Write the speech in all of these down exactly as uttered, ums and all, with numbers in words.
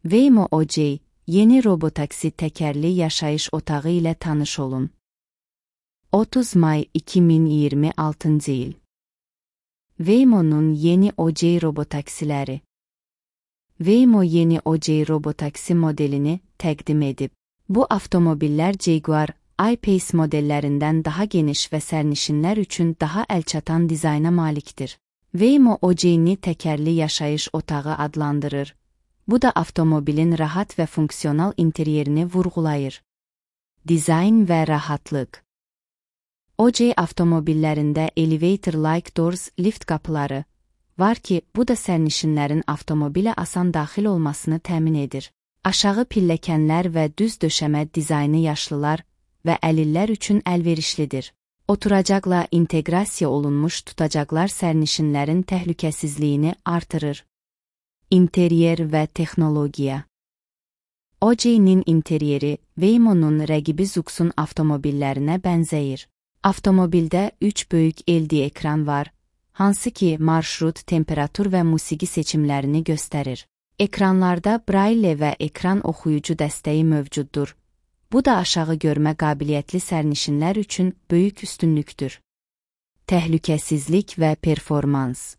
Waymo O C, yeni robotaksi təkərli yaşayış otağı ilə tanış olun. otuz may iki min iyirmi altıncı il. Waymo'nun yeni O C robotaksiləri. Waymo yeni O C robotaksi modelini təqdim edib. Bu avtomobillər Jaguar I-Pace modellərindən daha geniş və sərnişinlər üçün daha əlçatan dizayna malikdir. Waymo O C-ni təkərli yaşayış otağı adlandırır. Bu da avtomobilin rahat və funksional interyerini vurğulayır. Dizayn və rahatlıq. O C avtomobillərində elevator-like doors lift qapıları var ki, bu da sərnişinlərin avtomobilə asan daxil olmasını təmin edir. Aşağı pilləkənlər və düz döşəmə dizaynı yaşlılar və əlillər üçün əlverişlidir. Oturacaqla inteqrasiya olunmuş tutacaqlar sərnişinlərin təhlükəsizliyini artırır. İnteryer və texnologiya. O C-nin interyeri Waymo'nun rəqibi Zux'un avtomobillərinə bənzəyir. Avtomobildə üç böyük L D ekran var, hansı ki marşrut, temperatur və musiqi seçimlərini göstərir. Ekranlarda Braille və ekran oxuyucu dəstəyi mövcuddur. Bu da aşağı görmə qabiliyyətli sərnişinlər üçün böyük üstünlükdür. Təhlükəsizlik və performans.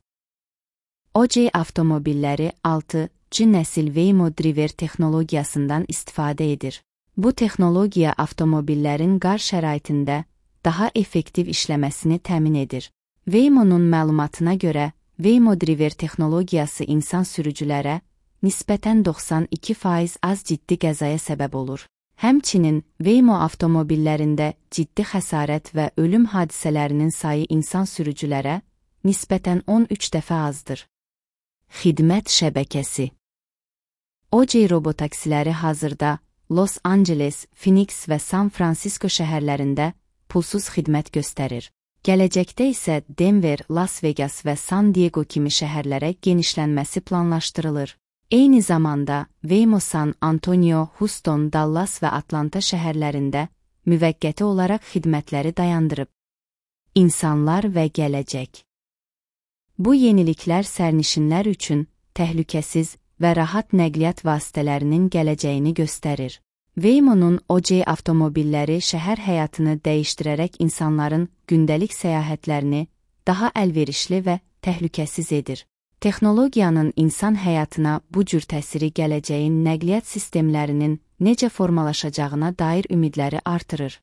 O C avtomobilləri altı G nəsil Waymo Driver texnologiyasından istifadə edir. Bu texnologiya avtomobillərin qar şəraitində daha effektiv işləməsini təmin edir. Waymo'nun məlumatına görə, Waymo Driver texnologiyası insan sürücülərə nisbətən doxsan iki faiz az ciddi qəzaya səbəb olur. Həmçinin, Waymo avtomobillərində ciddi xəsarət və ölüm hadisələrinin sayı insan sürücülərə nisbətən on üç dəfə azdır. Xidmət şəbəkəsi. O C robotaksiləri hazırda Los Angeles, Phoenix və San Francisco şəhərlərində pulsuz xidmət göstərir. Gələcəkdə isə Denver, Las Vegas və San Diego kimi şəhərlərə genişlənməsi planlaşdırılır. Eyni zamanda, Waymo San Antonio, Houston, Dallas və Atlanta şəhərlərində müvəqqəti olaraq xidmətləri dayandırıb. İnsanlar və gələcək. Bu yeniliklər sərnişinlər üçün təhlükəsiz və rahat nəqliyyat vasitələrinin gələcəyini göstərir. Waymo'nun O C avtomobilləri şəhər həyatını dəyişdirərək insanların gündəlik səyahətlərini daha əlverişli və təhlükəsiz edir. Texnologiyanın insan həyatına bu cür təsiri gələcəyin nəqliyyat sistemlərinin necə formalaşacağına dair ümidləri artırır.